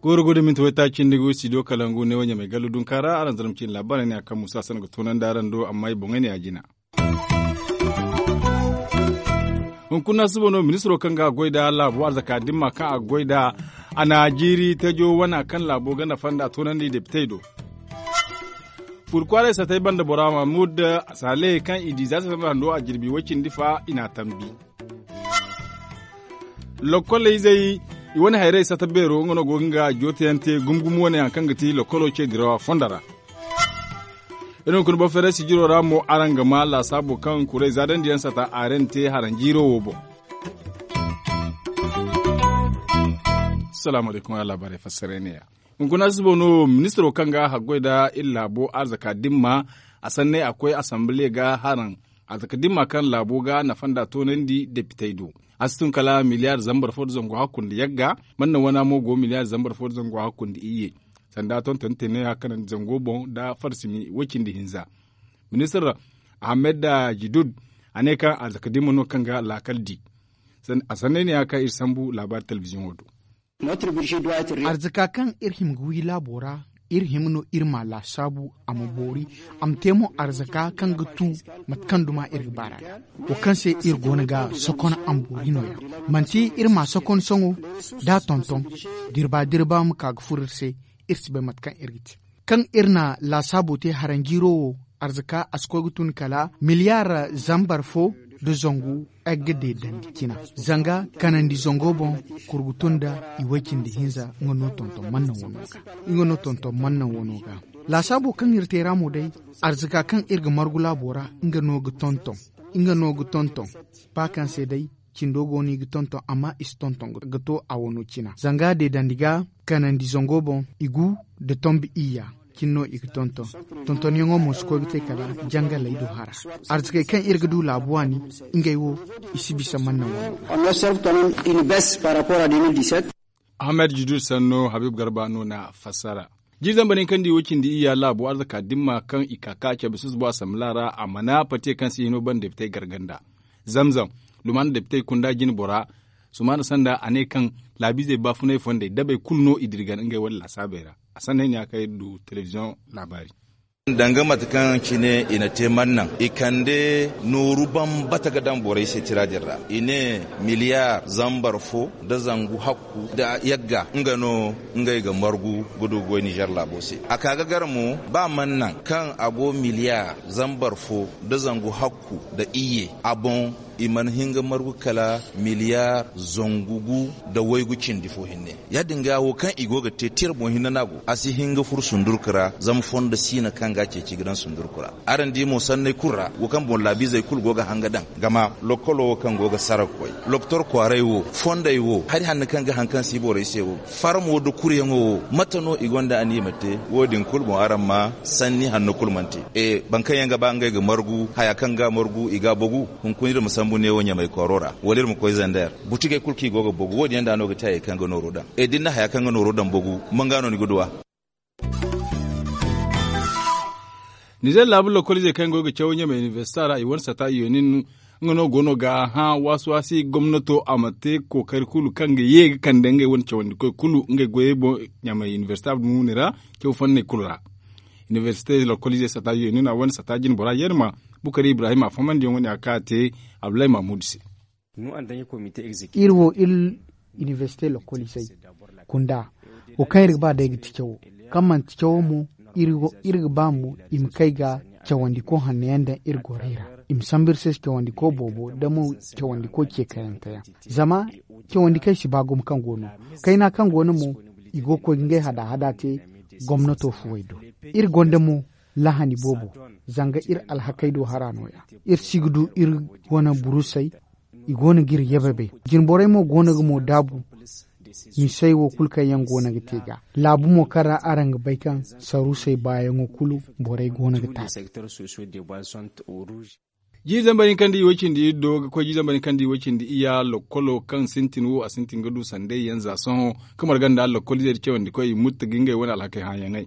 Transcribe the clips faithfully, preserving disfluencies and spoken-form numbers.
Gooro go da minti waytaaci nda go studio kalangu ne wo ɲamay gallu dunka ra araŋ zarma ciine laabaarey ne a kaŋ musa sanda ga toonandi araŋ do amma i boŋey ne a jina. Hunkuna suba no ministiro kaŋ ga a goy nda laabo arzaka dimma kaŋ a goy nda a na jiiri tajo wana kaŋ laabo ganda fonda toonandi depitey do. Fur kwaaray satay banda bora mahmud sale kaŋ i di za sanda hando a jirbi way cindi fa i n'a tambi. Lokkolayzey i wane hayrey sata beero nga no go ga nga jooteyaŋ te gumo gumo wane hari kaŋ ga ti lokkolo ce dirawa fondo ra. Iri hunkuna boro feeray sijiro ra mo araŋ ga ma laasaabo kaŋ kuray zaadandiyaŋ sata a ra ni te haranjiiro wo boŋ. Salaamu alaykum a laabaarey fassaray ne ya. Hunkuna suba no ministiro kaŋ ga haggoy nda iri laabo arzaka dimma a sanney a koy asambile ga haraŋ arzaka dimma kaŋ laabo ga nafa nda toonandi depitey do. A si tun kala miliyaar zambar fo nda zangu hakku nda yagga man naŋ wana mo go miliyaar zambar fo nda zangu hakku nda iyye. Sanda tonton te ne ya kanandi zango boŋ nda farsimi way cindi hinza. Ministir ahamed jidud a ne kaŋ arzaka dimma no kaŋ ga laakal di. A sanney ne ya kaŋ iri sambu laabaari telebiziyoŋo do. Arzaka kaŋ iri hima ga wi laabo ra iri hima no iri ma laasaabu a ma boori. A ma te mo arzaka kaŋ ga tu mate kaŋ duma iri ga baar'a ga wo kaŋ se iri go no ga sokon a ma boori no- ya manti iri ma sokon soŋo da a tonton dirba dirba ma ka ga furo iri se. Iri si bay mate kaŋ iri ga te kaŋ iri na laasaabo te haranjiiro wo arzaka a si koy ga tun kala miliyaar zambar fo nda zangu ay ga deedandi cina zanga kanandi zango boŋ kurgu tun nda i way-cindi hinza nga no tonton mannaŋ wano ga nga no tonton mannaŋ wano ga laasaabo kaŋ iri te ra mo day arzaka kaŋ iri ga margu laabo ra nga no ga tonton nga no ga tonton ba kaŋ se day cindo go no i ga tonton amma i si tonton ga to a wano cina zanga deedandi ga kanandi zango boŋ i gu nda tombi iyya cine no i ga tonton tontonyaŋo mo si koy ga te kala jangaley do hara arzakey kaŋ iri ga du laabu waani ngey wo i si bisa manna wano. Ahamed judud sanno habib garba no na fassara. Jiiri zambar hinka nda i wo cindi iyya laabu arzaka dimma kaŋ i ka ka cabe susbo asamblaa ra a mana pate kaŋ si hino ban depitey garganda zamzam lumaana depitey kunda jine bora sumaana sanda a ne kaŋ laabiizey baafunay fondey dabey kulu no i dirgan ngey wane laasaabey ra. A sanda ay ne a kaŋ iri du telebiziyoŋ laabaari. Danga mate kaŋ cine i na te mannaŋ i kande nooru bambata ga daŋ borey se tira din ra i ne miliyaar zambar fo nda zangu hakku nda yagga nga no ngey ga margu ga du ga goy nizer laabo se a ka ga gar mo ba mannaŋ kaŋ a go miliyaar zambar fo nda zangu hakku nda iyye a boŋ i mana hin ga margu kala miliyaar zangu gu nda waygu cindi fo hinne. Ya- din ga wo kaŋ i go ga te tira boŋ hinne no a go a si hin ga furo sundurku ra zama fondo siina kaŋ ga a ceeci ga daŋ sundurku ra. Araŋ di mo sanney kulu ra wo kaŋ boŋ laabiizey kulu go ga hanga daŋ gama lokolo wo kaŋ go ga sara ga koy lokotor kwaaray wo fondey wo hari hanno kaŋ ga haŋ kaŋ si borey se wo farmo nda kuryaŋo wo mate no i gonda aniya ma te? Wo- din kulu boŋ araŋ ma sanni hanno kulu mana te. Boro kaŋ yaŋ ga ba ngey ga margu haya kaŋ ga margu i ga a bogu hunkuna iri ma sambu neewo ɲamay kooro ra wala iri ma koy zander butigey kulu kaŋ i go ga bogu wo- din yaŋ da no ga te hayey kaŋ ga nooro daŋ. Da ni na haya kaŋ ga nooro daŋ bogu man ga no ni ga du a? Nizer laabu lokoliizey kaŋ go ga caw ɲamay inibersita ra i wane sata i yonin nga no go no ga hã waasi waasi gomnato a ma te kookari kulu kaŋ ga ye ga kande ngey wane cawandikoy kulu ngey goyey boŋ ɲamay inibersita dumuni ra caw fanney kulu ra. Inibersite lokoliizey sata yonin a wane sata jine bora yerma bukari ibrahim a fahamandiyaŋ wane a ka te abdullahi mahmud se. Iri wo iri inibersite lokoliizey kunda wo kaŋ iri ga ba day ga ti cawo kaŋ manti cawo mo iri ga ba mo i ma kay ga cawandiko hanno yaŋ daŋ iri gorey ra i ma sambu iri se cawandiko boobo da mo cawandiko ceekayante yaŋ. Zama cawandikey si ba gumo kaŋ go no kayna kaŋ go no mo i go ga koy ga ngey hada hada te gomnato fuwey do. Iri gonda mo lahani boobo zanga iri alhakey do hara no- ya iri si ga du iri wane burusey i go no ga iri yababay jinborey mo go no ga mo daabu. Misey wo kulu kaŋ yaŋ go no ga te ga laabu mo kaŋ ra araŋ ga bay kaŋ saruusey baayaŋo kulu borey go no ga taasi. Jiiri zambar hinka nda i way cindi iri do ga koy jiiri zambar hinka nda i way cindi iyya lokkolo kaŋ sintin wo a sintin ga du sanday yaŋ za sohõ ka marga nda lokkoliizey nda cawandikoy i mutta ga ngey wane alhakey hãayaŋey.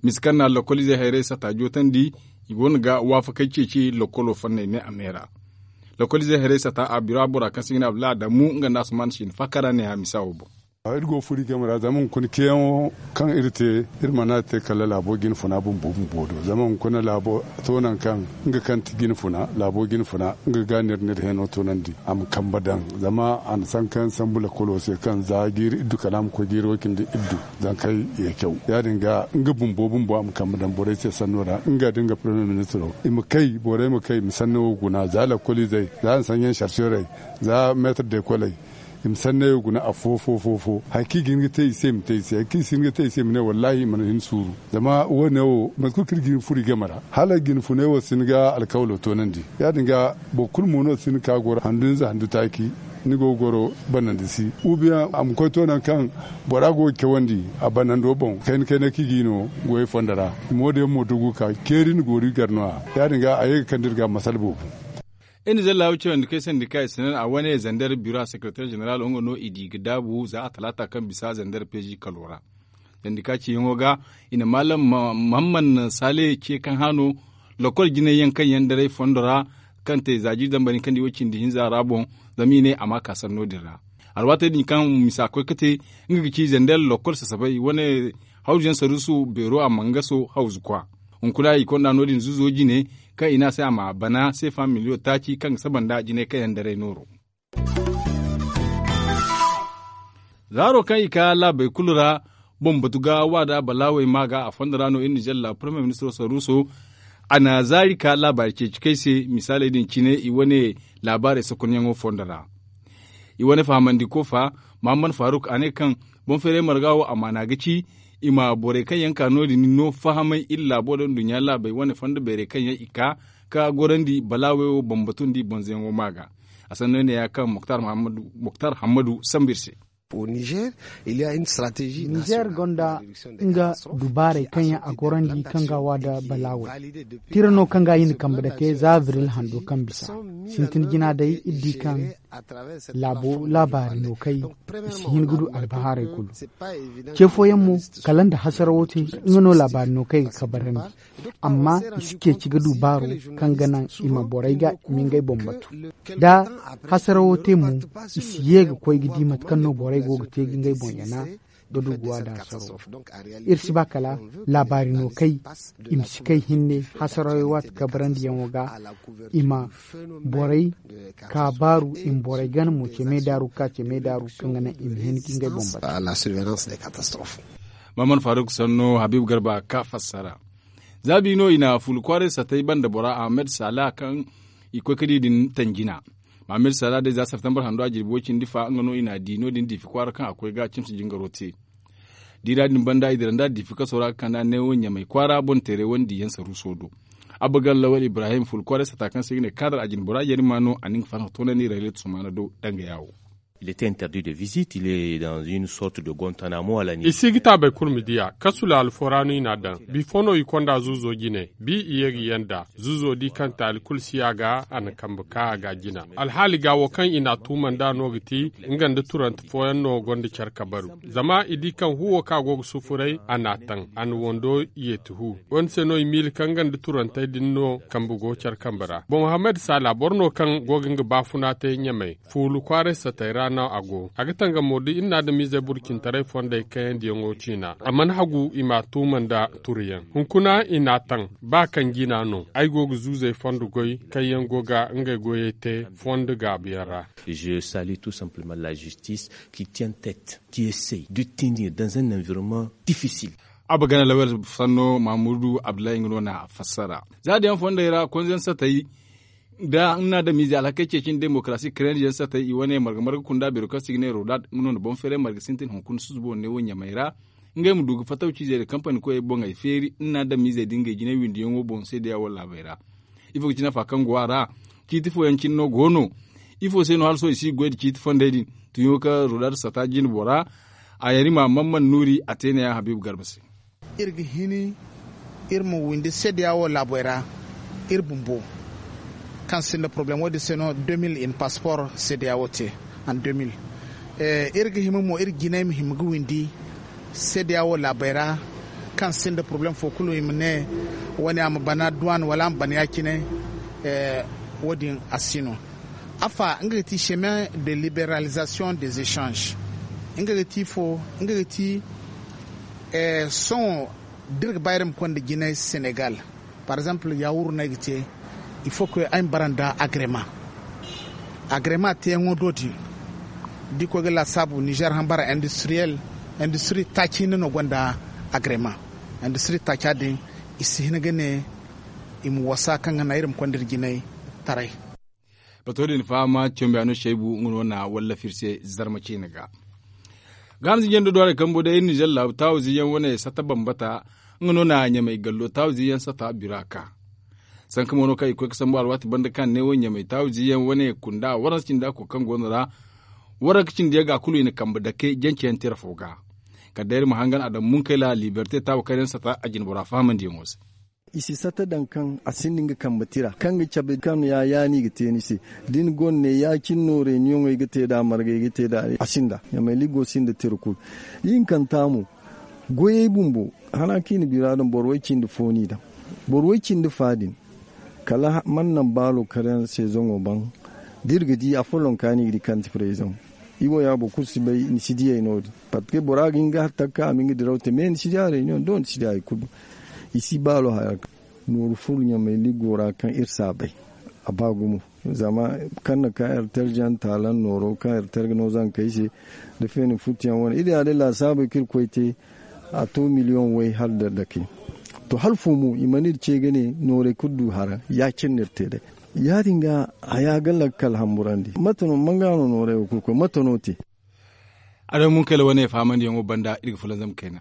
Misa kaŋ na lokoliizey hayray sata jootandi, i go no ga waafakey ceeci lokolo fanney ne a me ra. Lokoliizey hayray sata a bira bora kaŋ se i ga ne abdullah adamu nga nda asuman siina faakara ne a misa wo boŋ. Iri go furi game ra zama hunkuna ceeyaŋo kaŋ iri te, iri mana te kala laabo jinfuna bumbo bumbo do zama hunkuna laabo to nangu kaŋ nga kaŋ ti jinfuna laabo jinfuna nga ga no iri n'iri heno toonandi a ma kambe daŋ. Zama a na sanka yaŋ sambu lakolo se kaŋ za jiiri iddu kala a ma koy jiiri way cindi iddu. Zankey ye caw ya- din ga nga bumbo bumbo a ma kambe daŋ borey se sanno ra nga da nga parmiye ministiro i ma kay borey ma kay i ma sanno wo guna za lakoliizey za ensennyaŋ sarserey za meetir dekoley. I ma sanney wo guna afo fo fo fo hari kaŋ i ga hin ga te i se i ma te i se hari kaŋ i si hin ga te i se i ma ne wallaahi i mana hin suuru. Zama wo- ne wo mate kulu kaŋ iri ga hin furo i game ra hala jinfuney wo si hin ga alkawlo toonandi. Ya- din ga boro kulu mo no si hin ga ka goro handu hinza handu taaci. Ni go ga goro banandi si ubiyaŋ a ma koy to nangu kaŋ bora go ga cawandi a banando boŋ kayna kayna kaŋ i ga i no goyey fondo ra. I ma wo- din yaŋ mo dugu ga ka ceeri ni goori gar no- ya ya- din ga a ye ga kande iri ga masala boobo. Iri na zallaabu cawandi kaŋ ay sandi kaŋ ay si naŋ a wane zander biro a sekereteer ženeral wo nga no i di ga daabu za a talaata kaŋ bisa zander peezi kalo ra. Sandi kaŋ ciyaŋo ga i na maalam muhammad saale ce kaŋ hano lokol jinay yaŋ kaŋ yaŋ daray fondo ra kaŋ te za jiiri dambari kaŋ di way cindi hinza ra boŋ. Zama i ne a ma ka sanno din ra alwaatey din kaŋ misa koy ga te nga ga ci zander lokol sasabay wane hawzu yaŋ saruusu beero a mangaso hawzu kwa. Hunkuna i konda no- din zuuzo jine kaŋ i ne a se a ma bana seefa miliyo taaci kaŋ ga saba nda jinay kaŋ yaŋ daray nooro. Zaaro kaŋ i ka laabey kulu ra boŋ batu ga waada balaawey ma ga a fondo ra no iri na zalla parmiye ministiro saruuso. A na zaari ka laabaari ceeci kaŋ ay se misaaley din cine i wane laabaarey sokonyaŋo fondo ra. I wane fahamandi kofa muhammad faruk a ne kaŋ boŋ feeray marga wo amaana ga ci i ma borey kaŋ yaŋ ka no- din no fahamay iri laabo da nduɲɲa laabey wane fondo beerey kaŋ yaŋ i ka ka gorandi balaawey wo bambatundi bonzoyaŋo ma ga. A sanno ne ya kaŋ muktar hammadu sambu iri se. Nizer gonda nga dubaarey kaŋ yaŋ a gorandi kaŋ ga a wa da balaawey. Tira no kaŋ ga a hin kambe dake za abril hando kaŋ bisa sintin jina day iri di kaŋ laabo laabaari no kay i si hin ga du albahaarey kulu. Ce fooyaŋ mo kala nda hasarawo te nga no laabaari no kay ga kabarandi. Amma i si ceeci ga du baaro kaŋ ga naŋ i ma borey ga i ma ngey boŋ batu. Da hasarawo te mo i si ye ga koy ga di mate kaŋ no borey go ga te ga ngey boŋ yana ga du ga waada hasaro. Iri si ba kala laabaari no kay i ma si kay hinne hasarawey waati kabarandiyaŋo ga i ma borey ka baaru i ma borey gana mo ce meedaaru ga ka ce meedaaru kaŋ ga naŋ i ma hin ga ngey boŋ batu. Maman faruk sanno habibu garba ka fassara. Za bi no i na fuula kwaaray satay banda bora ahmed sala kaŋ i koy ka di din tanjina. Mohammed sala day za septembre hando a jirbi way cindi fa nga no i na di no- din diifi kwaara kaŋ a koy ga cimsi jingaro te. Diira din banda i dira nda diifi kaso ra ga kanda neewo ɲamay kwaara boŋ teeray wane diiyaŋ saruuso do. Abba gan lawal ibrahim fuula kwaaray sata kaŋ se i ga ne kaadar a jine bora yarima no a na nga farhã toonandi raylet sumaana do danga yaawo. Il était interdit de visite il est dans une sorte de gontanamo à la niger. I si ga taabay kulu ma diya kasu laalo fo ra no i n'a daŋ. Bifo no i konda zuuzo jine bi i ye ga yanda zuuzo di kaŋ taali kulu si a ga a na kambe ka a ga jina. Alhaali ga wo kaŋ i n'a tuuma nd'a no ga ti nga nda turante fooyaŋ no gonda care kabaru. Zama i di kaŋ huuwo kaŋ a go ga sufuray a n'a taŋ a na wando yeeti hu. Wo- din se no i miila kaŋ nga nda turantey din no kambe go care kambe ra boŋ mohammed saala boro no kaŋ go ga nga baafuna te ɲamey. Fuulu kwaaray satey ra no a go a ga tangamo da iri na adamiizey burcintaray fondey kayandiyaŋo ciina a mana hagu i m'a tuuma nda turuyaŋ. Hunkuna i n'a taŋ ba kaŋ jina no ay go ga zuuzey fondo goy kaŋ yaŋ go ga ngey goyey te fondo gaabuyaŋ ra. Je salue tout simplement la justice qui tient tête qui essaie de tenir dans un environnement difficile. Abba gana lawyer sanno mamudu abdullahi nga no na fassara. Za da yaŋ fondey ra konzaŋ satey da nga na adamiize alhakey ceeci nda demokarasi karendi yaŋ satey i wane marga marga kunda beero kaŋ se i ga ne rodad nga no na boŋ feeray marga sintin hunkuna susubo ne wo ɲamey ra. Ngey ma du ga fatawciizey da kampani koyey boŋey feeri nga na adamiizey da ngey jinay windiyaŋo boŋ seedeya wala laabey ra. Ifo ga ci nafa kaŋ go a ra? Ciiti fooyaŋ cine no go no. Ifo se no hala sohõ i si ga goy nda ciiti fondey din? Tuɲo kaŋ rodad sata jine bora a yari ma mamman nuuri a te neeyaŋ habiibu garba se. Iri ga hini iri ma windi seedeya wo laabey ra. Iri bumbo kaŋ sinda porobalem wo- din se no deux mille i na paspor seedeya wo te. En deux mille iri ga hima mo iri jinay ma hima ga windi seedeya wo laabey ra. Kaŋ sinda poroblem fo kulu i ma ne wane a ma bana duwan wala a ma bana ya- cine. Wo- din a si no. Afa nga ga ti chemin de liberalisation des échanges. Nga ga ti fo nga ga ti sohõ da iri ga ba iri ma konda jinay senegal. Par exemple yawuru no ay ga te. Il faut que ay ma bara nda agreement. Agreement teeyaŋo do din da i koy ga laasaabu niger hambara industriel industrie taaci hinne no gonda agreement. Industrie taaca din i si hin ga ne i ma wasa kaŋ ga naŋ iri ma konda iri jinay taray. Bato din fahama cambiyaano shaybu nga no na wallafir se zarma ciine ga. Ga hansi jando do haray kambo day iri nizer laabu taawu ziyaŋ wane sata bambata. Nga no na ɲamay gallo taawu ziyaŋ sata bira ka sanka mo no kaŋ i koy ga sambu alwaati banda kaŋ ne wo ɲamay taawu ziyaŋ wane kunda waransa cindi a ko kaŋ go no ra. Waranka cindi yaŋ ga kulu i na kambe dake jance yaŋ tira fo ga. Kala day iri ma hangan a daŋ munkayla liberte taawu kaŋ yaŋ sata a jinbora fahamandiyaŋo se. I si sata daŋ kaŋ a sinda nga kambe tira kaŋ ga cabe kaŋ ya ya no i ga te ni se. Da ni gonda ne ya- cine no reuniyoŋey ga te nd'a margey ga te nd'a a sinda ɲamay ligo sinda tira kulu. Ihinkanta mo goyey bumbo hana kaŋ i na bira daŋ boro way- cindi fo no i daŋ. Boro way- cindi fa din kala mana naŋ baalo kar yaŋ se zaŋo baŋ. Da iri ga di afolloŋ kaŋ ni ga di kaŋ ti prezidaŋ. I wo ya boro kulu si bay ni si diyey no- din. Parceque bora ga hin ga hari takka a ma hin ga diraw te mais ni si di a reunion do ni si di hari kulu. I si baalo haya nooru furu ɲamay liggo ra kaŋ iri si a bay. A ba gumo zama kaŋ na ka iri tarjiyaŋ taalan nooro kaŋ iri targa no zankey se. Da feeni futtuyaŋ wane iri ya day laasaabey kaŋ iri koy te a to miliyoŋ way hala da dake. To hala fo mo i mana iri ce ga ne noorey kulu du hara ya- cine no iri te day. Ya- din ga haya ga lakkal hamburandi mate no manga no noorey wo kulu koy mate no te? Adamu munkayla wane fahamandiyaŋo banda iri ga fulanzam kayna.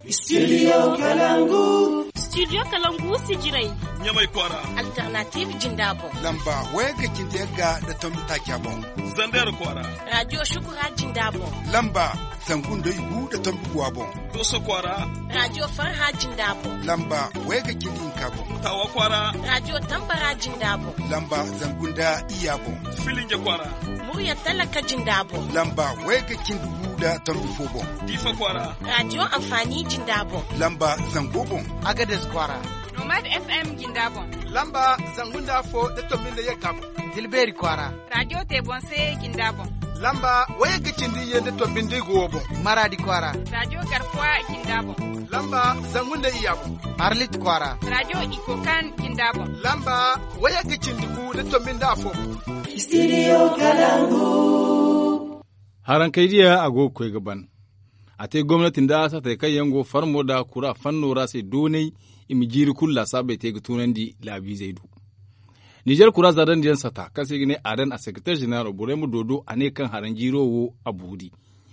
Studio kalangu. Studio kalangu sijiray. Ɲamay kwaara. Alternative jinda boŋ. Lamba wayagga cindi yagga nda tombi taaca boŋ. Zander kwaara. Radio shukura jinda boŋ. Lamba zangu nda igu nda tombi guwa boŋ. Doso kwaara. Radio farha jinda boŋ. Lamba wayagga cindi hinka boŋ. Tawa kwaara. Radio tambara jinda boŋ. Lamba zangu nda iya boŋ. Filinja kwaara. Murya talaka jinda boŋ. Lamba wayagga cindi gu nda tombi fo boŋ. Diifa kwaara. Radio amfani jinda boŋ. Lamba zango boŋ. Agades kwaara. Nomad fm jinda boŋ. Lamba zangu nda afo nda tombi nda yagga boŋ. Dilbeeri kwaara. Radio te boŋ se jinda boŋ. Lamba wayagga cindi iyye nda tombi nda igu wo boŋ. Maradi kwaara. Radio garkuwa jinda boŋ. Lamba zangu nda iyya boŋ. Arlit kwaara. Radio ikokan jinda boŋ. Lamba wayagga cindi gu nda tombi nda afo boŋ. Studio kalangu. Harankey diya a go ga koy ga ban. A te gomnati nda satey kaŋ yaŋ go farmo nda kura fanno ra se doonay. I ma jiiri kulu laasaabey te ga tunandi laabiizey do. Nizer kura zaadandi yaŋ sata kaŋ se i ga ne adan a sekreter jeneral borey ma doodo a ne kaŋ haranjiiro wo a boori.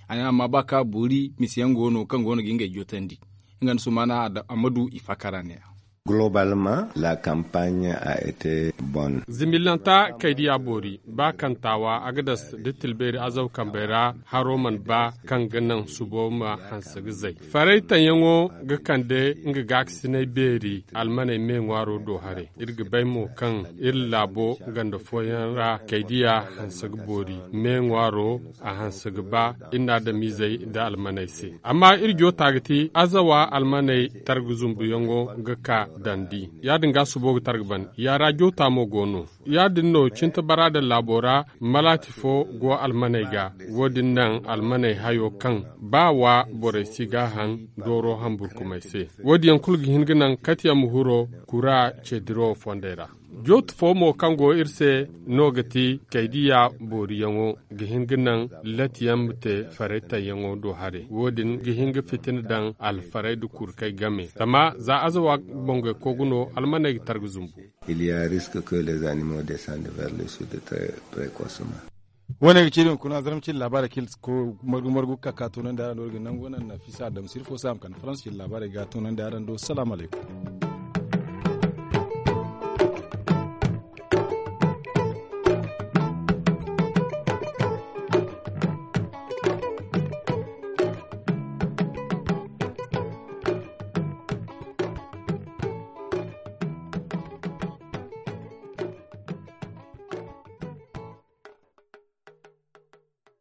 A ne amma ba kaŋ a boori misiyaŋ go no kaŋ go no ga ngey jootandi. Nga nda sumaana a ma du i fakara ne a. Globalma la kampaaɲe a ete bon. Zimillanta kaydiya boori ba kaŋ taawa agadas da tilbeeri azaw kambey ra haro mana ba kaŋ ga naŋ subo ma hanse ga zay. Faray taŋyaŋo ga kande nga gaakasinay beeri almaney me ŋwaaro do haray. Iri ga bay mo kaŋ iri laabo ganda fooyaŋ ra kaydiya hanse ga boori me ŋwaaro a hanse ga ba iri na adamizey nda almaney se. Amma iri joota ga ti azawa almaney targa zumbuyaŋo ga ka dandi. Ya- din ga subo ga targa ban ya ra joota mo go no. Ya- din no cinta bara da laabo ra malaati fo go almaney ga. Wo- din naŋ almaney hayo kaŋ ba wa borey si ga haŋ dooro hamburkumey se. Wo- din yaŋ kulu ga hin ga naŋ katiyaŋ ma huro kura ceediro fondey ra. Jootu fo mo kaŋ go iri se no ga ti kaydiya booriyaŋo ga hin ga naŋ latiyaŋ ma te faray tayyaŋo do haray. Wo- din ga hin ga fitina daŋ alfaray nda kurkey game zama za azawa bongey kogu no almaney ga targa zumbu. Il y a risque que les animaux descendent vers le sud très précocement. Wo- ne ga ci iri hunkuna zarma cindi laabaarey kaŋ iri ga margu margu ga ka ka toonandi araŋ do iri ga nangu naŋ nafisa adamsir fo se a ma kande farans cindi laabaarey ga toonandi araŋ do salaamu alaykum.